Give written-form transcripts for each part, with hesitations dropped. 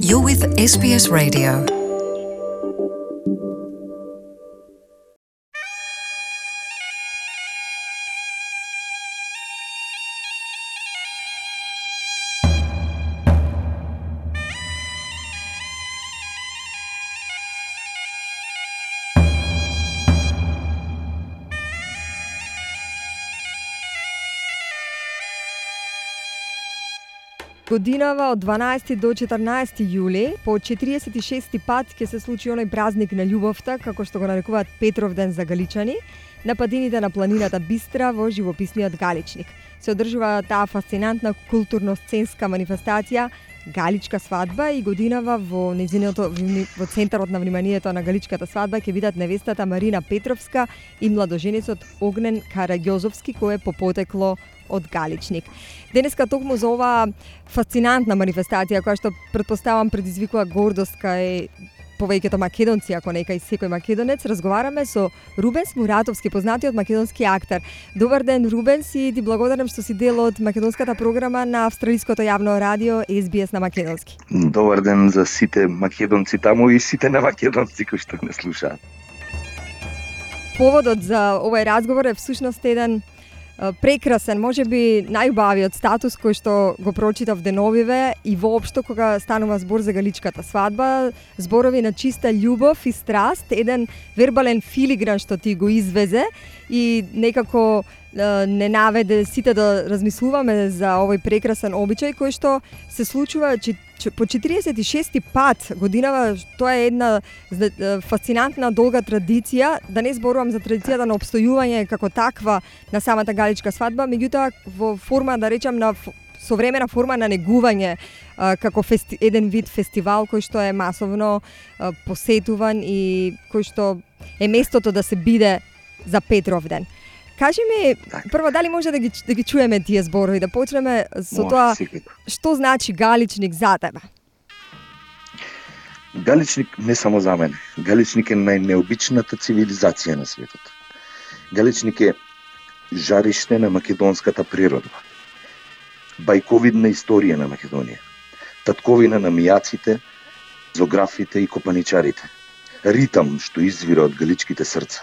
You're with SBS Radio. Годинава од 12 до 14 јули, по 46 пат ќе се случи оној празник на љубовта, како што го нарекуваат Петровден за галичани, на падините на планината Бистра во живописниот Галичник. Се одржува таа фасцинантна културно-сценска манифестација Галичка свадба и годинава во центарот на вниманието на Галичката свадба ќе бидат невестата Марина Петровска и младоженецот Огнен Караѓозовски, кој е по потекло од Галичник. Денеска токму за оваа фасцинантна манифестација, која што претпоставам предизвикува гордост кај повеќето македонци, ако не кај секој македонец, разговараме со Рубенс Муратовски, познатиот македонски актер. Добар ден, Рубенс, и ти благодарам што си дел од македонската програма на австралиското јавно радио SBS на македонски. Добар ден за сите македонци таму и сите немакедонци кои што не слушаат. Поводот за овој разговор е всушност еден прекрасен, можеби најубавиот статус кој што го прочитав деновиве и воопшто кога станува збор за Галичката свадба, зборови на чиста љубов и страст, еден вербален филигран што ти го извезе и некако не наведе сите да размислуваме за овој прекрасен обичај кој што се случува по 46 пат годинава. Тоа е една фасцинантна долга традиција, да не зборувам за традицијата на обстојување како таква на самата Галичка свадба, меѓутоа во форма, да речам, на современа форма на негување, како еден вид фестивал кој што е масовно посетуван и кој што е местото да се биде за Петровден. Кажи ми, прво, дали може да ги чуеме тие зборови, да почнеме со тоа што значи Галичник за тебе? Галичник не само за мене. Галичник е најнеобичната цивилизација на светот. Галичник е жариште на македонската природа. Бајковидна историја на Македонија. Татковина на мијаците, зографите и копаничарите. Ритам што извира од галичките срца.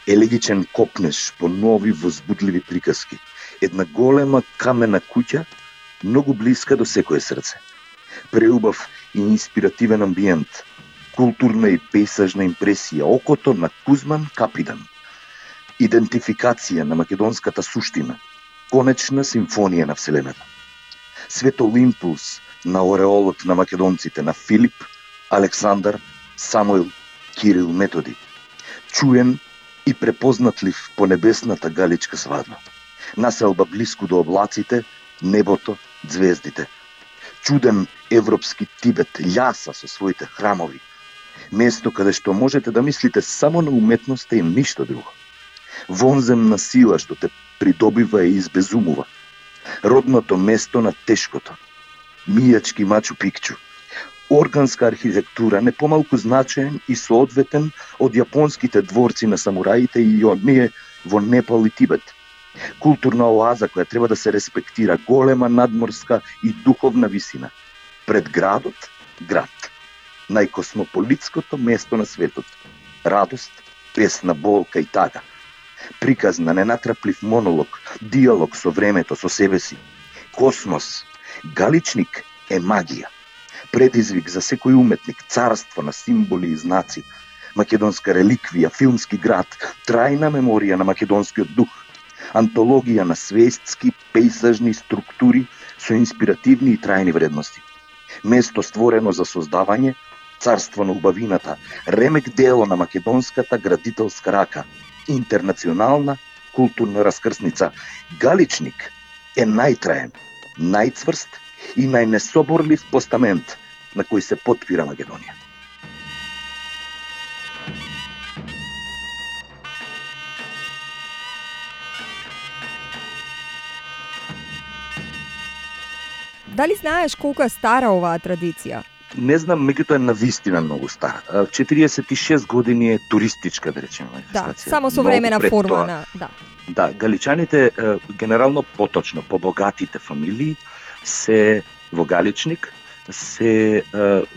Елегичен копнеш по нови возбудливи приказки. Една голема камена куќа, многу блиска до секое срце. Преубав и инспиративен амбиент, културна и пейсажна импресија, окото на Кузман Капидан. Идентификација на македонската суштина, конечна симфонија на Вселената. Светол импулс на ореолот на македонците, на Филип, Александар, Самуил, Кирил, Методи. Чуен и препознатлив по небесната Галичка свадба. Населба блиску до облаците, небото, звездите. Чуден европски Тибет, љаса со своите храмови. Место каде што можете да мислите само на уметноста и ништо друго. Вонземна сила што те придобива и избезумува. Родното место на тешкото. Мијачки Мачу Пикчу. Органска архитектура, не помалку значаен и соодветен од јапонските дворци на самураите и оние во Непал и Тибет. Културна оаза која треба да се респектира, голема надморска и духовна висина. Пред градот, град. Најкосмополитското место на светот. Радост, песна, болка и тага. Приказ на ненатраплив монолог, диалог со времето, со себе си. Космос. Галичник е магија. Предизвик за секој уметник, царство на символи и знаци, македонска реликвија, филмски град, трајна меморија на македонскиот дух, антологија на свестски, пейсажни структури со инспиративни и трајни вредности. Место створено за создавање, царство на убавината, ремек дело на македонската градителска рака, интернационална културна раскрсница. Галичник е најтраен, најцврст и најнесоборлив постамент на кој се потпира Македонија. Дали знаеш колку е стара оваа традиција? Не знам, меѓутоа е навистина многу стара. 46 години е туристичка, да речеме. Да, само со времена форма на... Да, галичаните, генерално поточно, побогатите фамилии, се во Галичник, се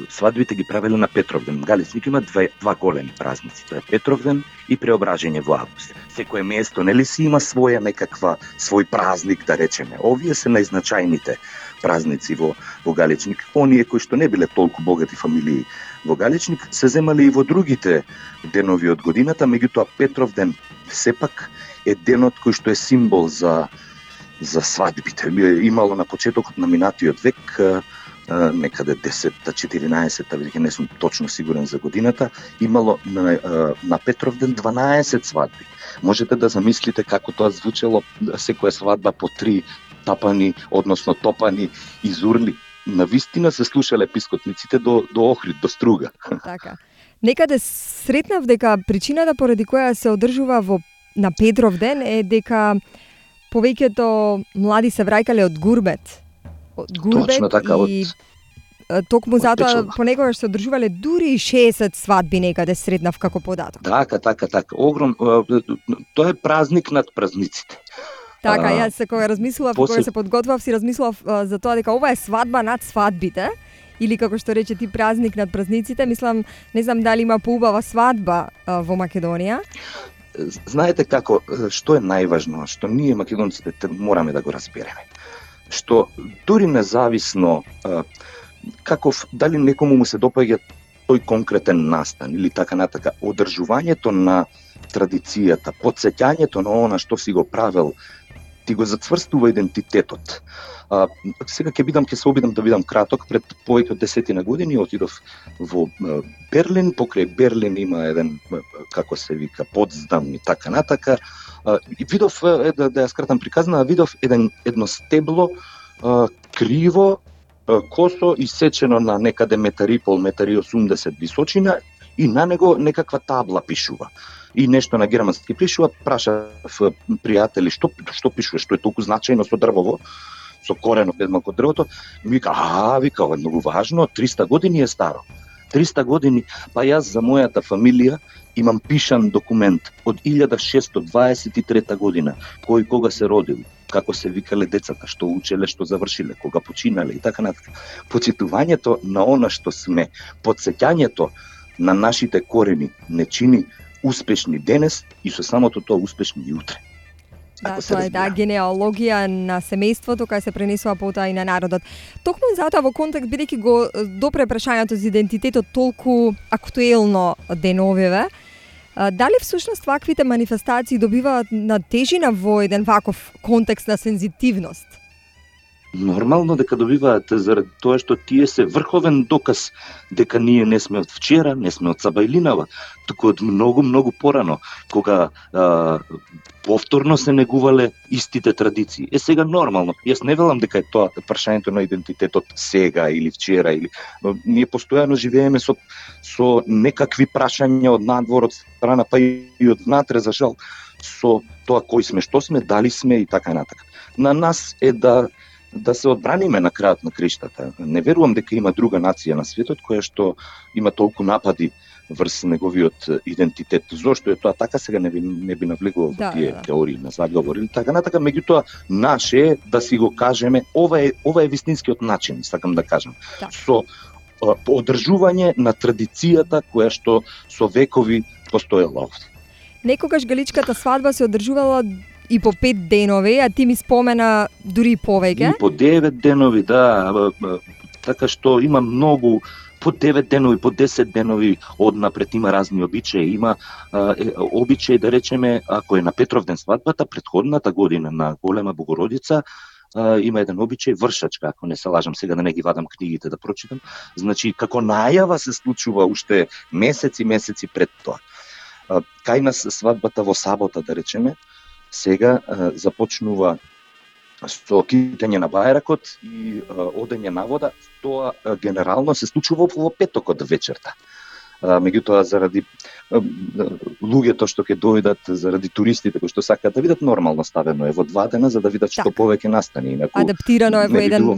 свадбите ги правеле на Петровден. Галичник има два големи празници. Тоа е Петровден и Преображање во август. Секое место нели си има свој празник, да речеме. Овие се најзначајните празници во Галичник. Оние кои што не биле толку богати фамилии во Галичник се земале и во другите денови од годината, меѓутоа Петровден сепак е денот кој што е символ за свадбите. Имало на почетокот на минатиот век, некаде 10-та, 14-та, веќе не сум точно сигурен за годината, имало на Петровден 12 свадби. Можете да замислите како тоа звучело, секоја свадба по 3 тапани, односно топани изурли. Навистина се слушале пискотниците до Охрид, до Струга. Така. Некаде сретнав дека причината поради која се одржува на Петровден е дека повеќето млади се враќале од гурбет. Точно така, и токму затоа понекогаш се одржувале дури 60 свадби, некаде сретнав како податок. Така. Огром, тоа е празник над празниците. Така, јас кога размислував, кога се подготвав, си размислував за тоа дека ова е свадба над свадбите, или како што рече ти празник над празниците. Мислам, не знам дали има поубава свадба во Македонија. Знаете како, што е најважно, што ние македонците мораме да го разбереме. Што дури независно дали некому му се допаѓа тој конкретен настан или така натака, одржувањето на традицијата, потсеќањето на она што си го правел, ти го зацврстува идентитетот. Сега ќе се обидам да бидам краток. Пред повеќе од 10 години отидов во Берлин. Покрај Берлин има еден, како се вика, Потсдам и така натака. И видов, да ја скратам приказна, видов едно стебло криво, косо исечено на некаде 1,5-1,80 височина и на него некаква табла пишува. И нешто на германски пишува, прашав пријатели што пишува, што е толку значајно со дрвово, со коренот еднак од дрвото. Вика, ова е многу важно, 300 години е старо. 300 години, па јас за мојата фамилија имам пишан документ од 1623 година, кој кога се родил, како се викале децата, што учеле, што завршиле, кога починале и така натака. Почитувањето на она што сме, потсеќањето на нашите корени не чини успешни денес и со самото тоа успешни и утре. Да, тоа е генеалогија на семејството кај се пренесува потоа и на народот. Токму затоа во контекст, бидејќи го допре прашањето за идентитетот толку актуелно деновиве, дали всушност ваквите манифестации добиваат на тежина во еден ваков контекст на сензитивност? Нормално дека добиваат, заради тоа што тие се врховен доказ дека ние не сме од вчера, не сме од Сабајлинава, туку од многу порано, кога повторно се негувале истите традиции. Сега нормално, јас не велам дека е тоа прашањето на идентитетот сега или вчера, или ние постојано живееме со некакви прашања од надвор, од страна, па и од внатре, за жал, со тоа кој сме, што сме, дали сме и така натака. На нас е да се одбраниме на крајот на криштата. Не верувам дека има друга нација на светот која што има толку напади врз неговиот идентитет. Зошто е тоа така, сега не би навлегувал во тие теории на заговор или така натака, меѓутоа наше е да си го кажеме, ова е вистинскиот начин, сакам да кажам. Со одржување на традицијата која што со векови постоела овде. Некогаш галичката свадба се одржувала и по 5 денови, а ти ми спомена дури повеќе. И по 9 денови, да. Така што има многу, по 9 денови, по 10 денови однапред има разни обичаи. Има обичаи, да речеме, ако е на Петровден свадбата, предходната година на Голема Богородица, има еден обичај вршачка, ако не се лажам, сега да не ги вадам книгите да прочитам. Значи, како најава се случува уште месеци пред тоа. Кај нас свадбата во сабота, да речеме, сега започнува со китење на бајракот и одење на вода. Тоа генерално се случува во петокот вечерта. Меѓутоа, заради луѓето што ќе дојдат, заради туристите кои што сакаат да видат, нормално ставено е во 2 дена за да видат што повеќе настани. Инаку адаптирано е во еден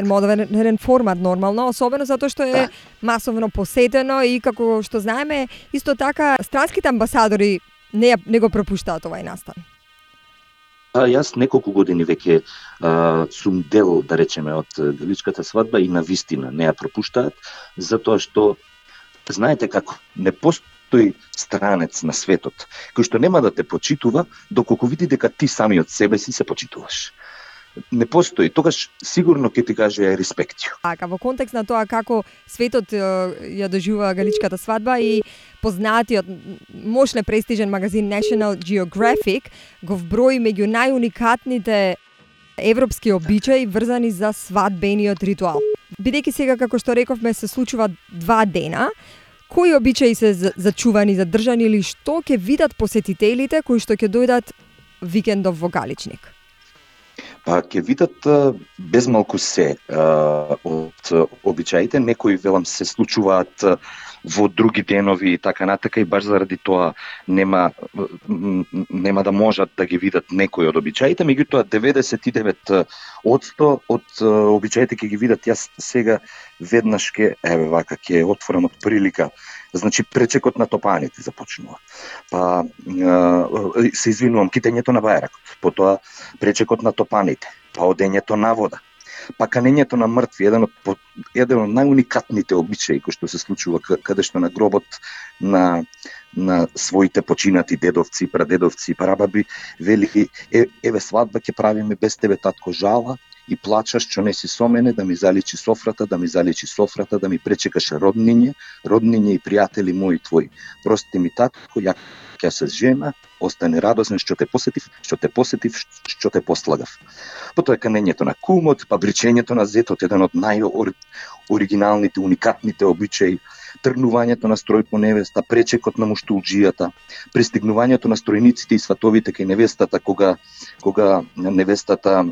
модерен формат нормално, особено затоа што е масовно посетено и како што знаеме, исто така странските амбасадори не го пропуштаат овај настан. Јас неколку години веќе сум дел, да речеме, од галичката свадба и навистина не ја пропуштаат, затоа што знаете како, не постои странец на светот кој што нема да те почитува доколку види дека ти самиот себе си се почитуваш. Не постои, тогаш сигурно ќе ти каже респектио. Така, во контекст на тоа како светот ја доживува галичката свадба и познатиот мощно престижен магазин National Geographic го вброи меѓу најуникатните европски обичаи врзани за свадбениот ритуал. Бидејќи сега, како што рековме, се случува 2 дена, кои обичаи се зачувани, задржани или што ќе видат посетителите кои што ќе дојдат викендов во Галичник? Па ќе видат безмалку се од обичаите, некои велам се случуваат во други денови и така натака, и баш заради тоа нема да можат да ги видат некои од обичаите, меѓутоа 99% од обичаите ќе ги видат. Јас сега веднаш ќе отворам од прилика. Значи пречекот на топаните започнува. Па се извинувам, китењето на бајракот, потоа пречекот на топаните, па одењето на вода, па канењето на мртви, еден од најуникатните обичаи кои што се случува каде што на гробот на своите починати дедовци, прадедовци, прабаби, вели еве свадба ќе правиме без тебе, татко, жала и плачаш што не си со мене, да ми заличи софрата, да ми пречекаш родниње и пријатели мои твои. Прости ми, татко, ја ќе се жена, остане радосен што те посетив, што те послагав. Потоа канењето на кумот, па бричењето на зетот, еден од најоригиналните, уникатните обичаи, тргнувањето на строј по невеста, пречекот на муштулџијата, пристигнувањето на стројниците и сватовите кај невестата, кога невестата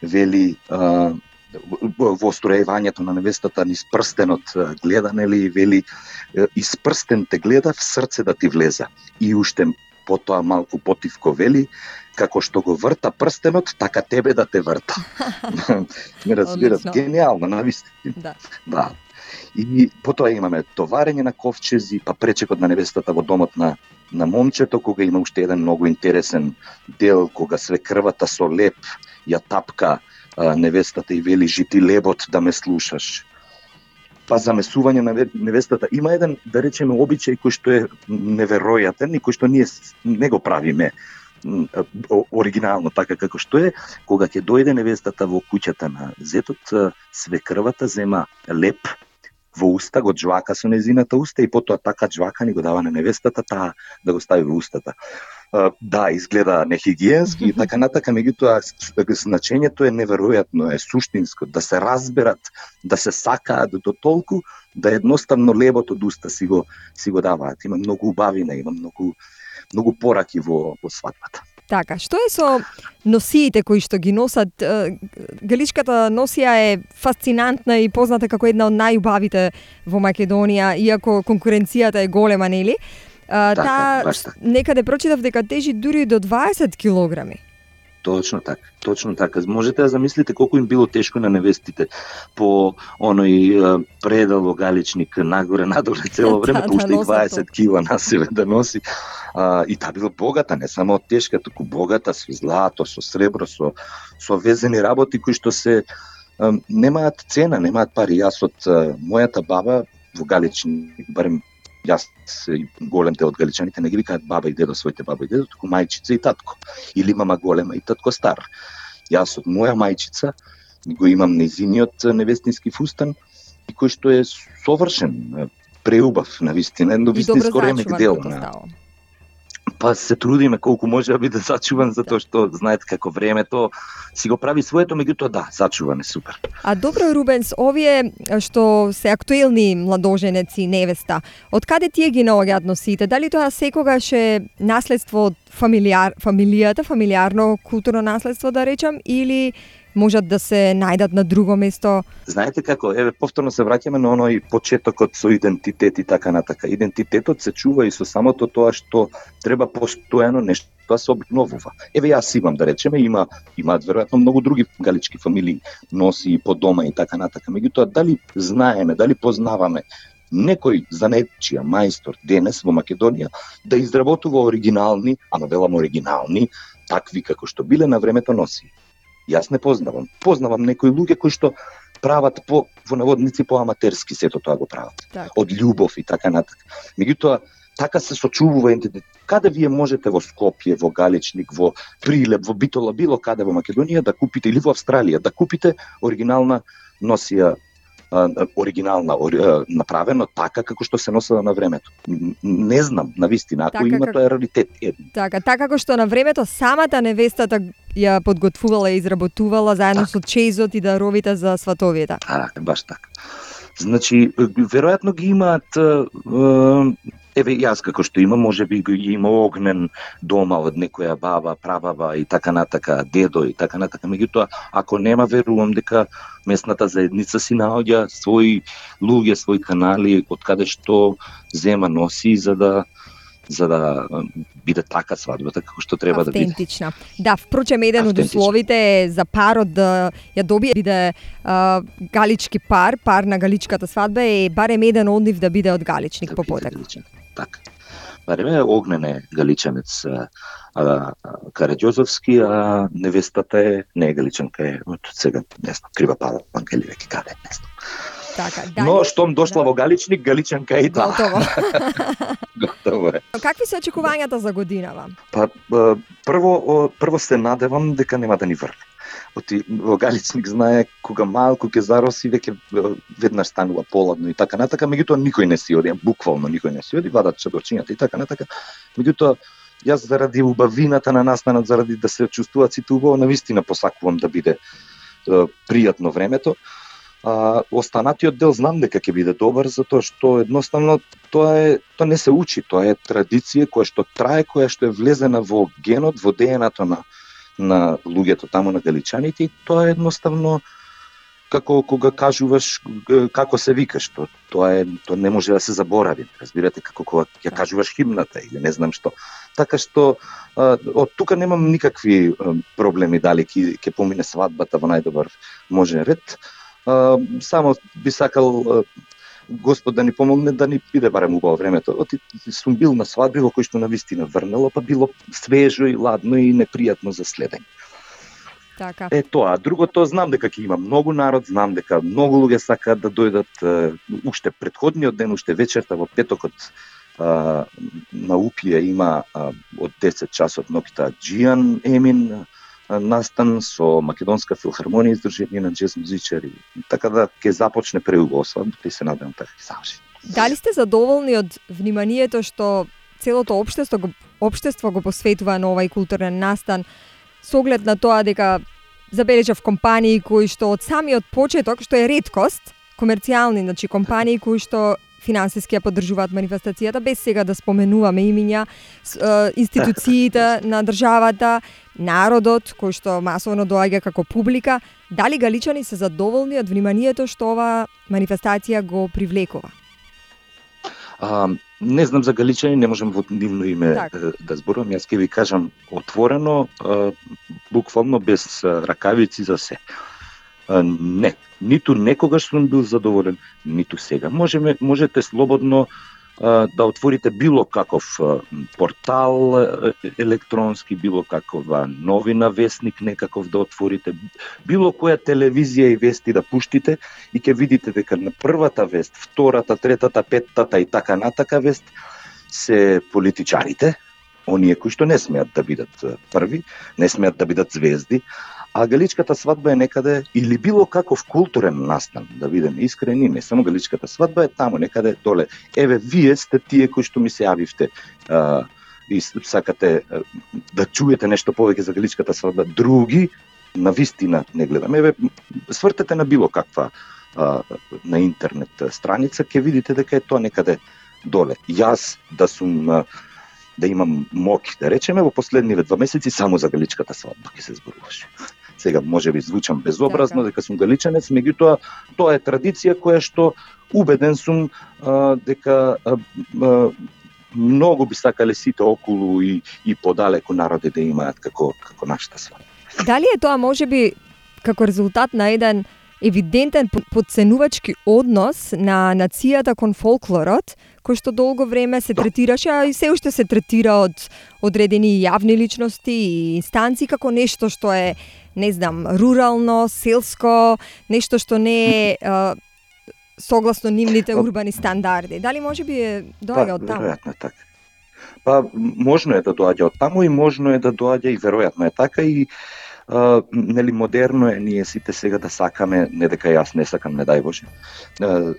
вели во строевањето на невестата низ прстенот гледа, нели, вели из прстен те гледа, в срце да ти влеза. И уште потоа малку потивко вели, како што го врта прстенот, така тебе да те врта. Не разбират, гениално, навистина. Да. И потоа имаме товарење на ковчези, па пречекот на невестата во домот на момчето, кога има уште еден многу интересен дел, кога свекрвата со леп ја тапка невестата и вели жити лебот да ме слушаш. Па замесување на невестата. Има еден, да речеме, обичај кој што е неверојатен и кој што ние не го правиме оригинално така како што е, кога ќе дојде невестата во куќата на зетот, свекрвата зема леп во уста, го џвака со незината уста и потоа така џвака ни го дава на невестата, таа да го стави во устата. Да, изгледа нехигиенски и така натака, меѓутоа значењето е неверојатно, е суштинско, да се разберат, да се сакаат до толку, да едноставно лебот од уста си го даваат. Има многу убавина, има многу пораки во свадбата. Така, што е со носиите кои што ги носат? Галичката носија е фасцинантна и позната како една од најубавите во Македонија, иако конкуренцијата е голема, нели? Таа некаде прочитав дека тежи дури до 20 килограми. Точно така. Можете да замислите колку им било тешко на невестите по оној предал во Галичник, нагоре, надоле цело време, уште и 20 кила на себе да носи. И таа била богата, не само тешка, туку богата со злато, со сребро, со везени работи кои што се немаат цена, немаат пари. Јас од мојата баба во Галичник, барем јас и голем дел од галичаните не ги викаат баба и дедо своите баба и дедо, туку мајчица и татко. Или мама голема и татко стар. Јас од моја мајчица го имам незиниот невестински фустан, кој што е совршен, преубав, навистина, едно вистинско ремек дел. Па се трудиме колку може да биде зачуван, затоа што знаете како времето си го прави своето, меѓутоа да, зачуван е супер. А добро, Рубенс, овие што се актуелни младоженеци, невеста, од каде тие ги наоѓаат носите? Дали тоа секогаш е наследство од фамилијата, фамилиарно културно наследство да речам, или можат да се најдат на друго место? Знаете како, повторно се враќаме на оној почетокот со идентитет и така натака. Идентитетот се чува и со самото тоа што треба постојано нешто да се обновува. Јас имам, да речеме, имаат веројатно многу други галички фамилии, носи и по дома и така натака. Меѓутоа, дали знаеме, дали познаваме некој занетчија мајстор денес во Македонија да изработува оригинални, ама велам оригинални, такви како што биле на времето носи. Јас не познавам. Познавам некои луѓе кои што прават во наводници по аматерски сето тоа го прават. Так. Од љубов и така натака. Меѓутоа така се сочувува идентитет. Каде вие можете во Скопје, во Галичник, во Прилеп, во Битола, било каде во Македонија да купите или во Австралија да купите оригинална носија, направено така како што се носела на времето. Не знам, навистина, ако Така има тоа е раритет. Така како што на времето самата невестата ја подготвувала и изработувала заедно со чеизот и даровите за сватовите. Баш така. Значи, веројатно ги имаат, еве јас како што имам, можеби ги има огнен дома од некоја баба, прабаба и така натака, дедо и така натака. Меѓутоа, ако нема, верувам дека местната заедница си наоѓа свои луѓе, свои канали од каде што зема носи за да биде така свадбата како што треба да биде. Автентична. Да, впрочем, еден од условите е за парот да ја добие биде галички пар на галичката свадба е барем еден од нив да биде од Галичник по потекло. Така. Барем е огнен е галичанец Караѓозовски, а невестата не е галичанка, е од сега, не знам, Крива Пала, Вангели веќе каде, не знам. Така, но штом дошла во Галичник, галичанка е и таа. Готово е. Какви се очекувањата за годинава? Прво се надевам дека нема да ни врне. Во Галичник знае кога малку ќе зароси веќе веднаш станува поладно и така натака, меѓутоа никој не си оди, буквално никој не си оди, вадат чадорчињата и така натака. Меѓутоа јас заради убавината на настанот, заради да се чувствуваат сите убаво, навистина посакувам да биде пријатно времето. Останатиот дел знам дека ќе биде добар, затоа што едноставно тоа не се учи, тоа е традиција која што трае, која што е влезена во генот, во ДНК-то на луѓето таму, на галичаните, и тоа е едноставно како кога кажуваш како се викаш, тоа не може да се заборави. Разбирате, како кога ја кажуваш химната или не знам што. Така што од тука немам никакви проблеми дали ќе помине свадбата во најдобар можен ред. Само би сакал Господ да ни помогне да ни биде барем убаво времето. Сум бил на свадби во кој што навистина врнело, па било свежо и ладно и непријатно за следење. Така. Тоа. Другото, знам дека ќе има многу народ, знам дека многу луѓе сакаат да дојдат уште претходниот ден, уште вечерта во петокот на Упија има од 10 часот ноќта Џијан Емин настан со Македонска филхармонија, издржение на џез музичари. Така да ќе започне преубаво свадбата и се надевам така ќе заврши. Дали сте задоволни од вниманието што целото општество го посветува на овај културен настан, со оглед на тоа дека забележав компании кои што од самиот почеток, што е реткост, комерцијални, значи компании кои што финансиски ја поддржуваат манифестацијата, без сега да споменуваме имиња, институциите на државата, народот кој што масовно доаѓа како публика. Дали галичани се задоволни од вниманието што ова манифестација го привлекува? Не знам за галичани, не можам во нивно име да зборувам. Јас ќе ви кажам отворено, буквално без ракавици за се. Не, ниту некогаш сум бил задоволен, ниту сега. Можете слободно да отворите било каков портал електронски, било какова новина, вестник некаков да отворите, било која телевизија и вести да пуштите и ќе видите дека на првата вест, втората, третата, петтата и така натака вест се политичарите, оние кои што не смеат да бидат први, не смеат да бидат звезди, а галичката свадба е некаде, или било каков културен настан, да бидеме искрени, не само галичката свадба е таму некаде доле. Еве, вие сте тие кои што ми се јавивте и сакате да чуете нешто повеќе за галичката свадба. Други, навистина не гледам. Еве, свртете на било каква на интернет страница, ќе видите дека е тоа некаде доле. Јас да имам моќ, да речеме, во последниве 2 месеци само за галичката свадба ќе се зборуваше. Сега може би звучам безобразно дека сум галичанец, меѓутоа тоа е традиција која што убеден сум дека многу би сакале сите околу и подалеку народи да имаат како нашата свадба. Дали е тоа можеби како резултат на еден евидентен подценувачки однос на нацијата кон фолклорот, кој што долго време се третираше, а и се уште се третира од одредени јавни личности и инстанции како нешто што е, не знам, рурално, селско, нешто што не е согласно нивните урбани стандарди. Дали може би доаѓа од таму? Веројатно е така. Па можно е да доаѓа од таму и можно е да доаѓа и веројатно е така и нели модерно е ние сите сега да сакаме, не дека јас не сакам, не дај Боже.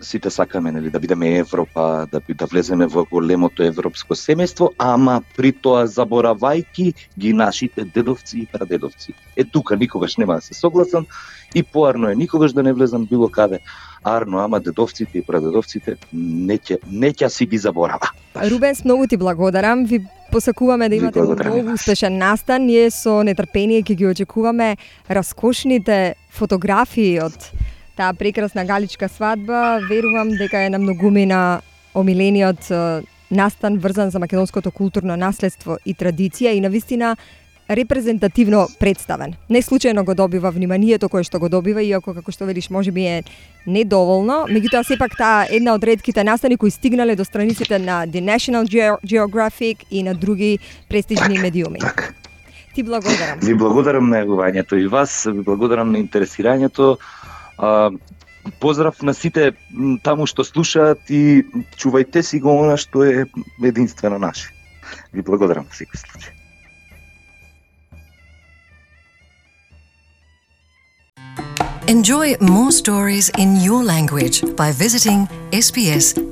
Сите сакаме нели да бидеме Европа, да влеземе во големото европско семејство, ама при тоа заборавајки ги нашите дедовци и прадедовци. Тука никогаш нема да се согласам и поарно е никогаш да не влезам било каде. Арно, ама дедовците и прадедовците не ќе си ги заборава. Рубенс, многу ти благодарам. Ви посакуваме да имате многу успешен настан. Ние со нетрпение ќе ги очекуваме раскошните фотографии од таа прекрасна галичка свадба. Верувам дека е на многумина омилениот настан врзан за македонското културно наследство и традиција и навистина репрезентативно представен. Не случајно го добива вниманието кое што го добива, иако како што велиш можеби е недоволно, меѓутоа сепак таа една од ретките настани кои стигнале до страниците на The National Geographic и на други престижни медиуми. Ти благодарам. Ви благодарам на јавувањето и вас, ви благодарам на интересирањето. Поздрав на сите таму што слушаат и чувајте си го она што е единствено наше. Ви благодарам во секој случај. Enjoy more stories in your language by visiting sbs.com.au.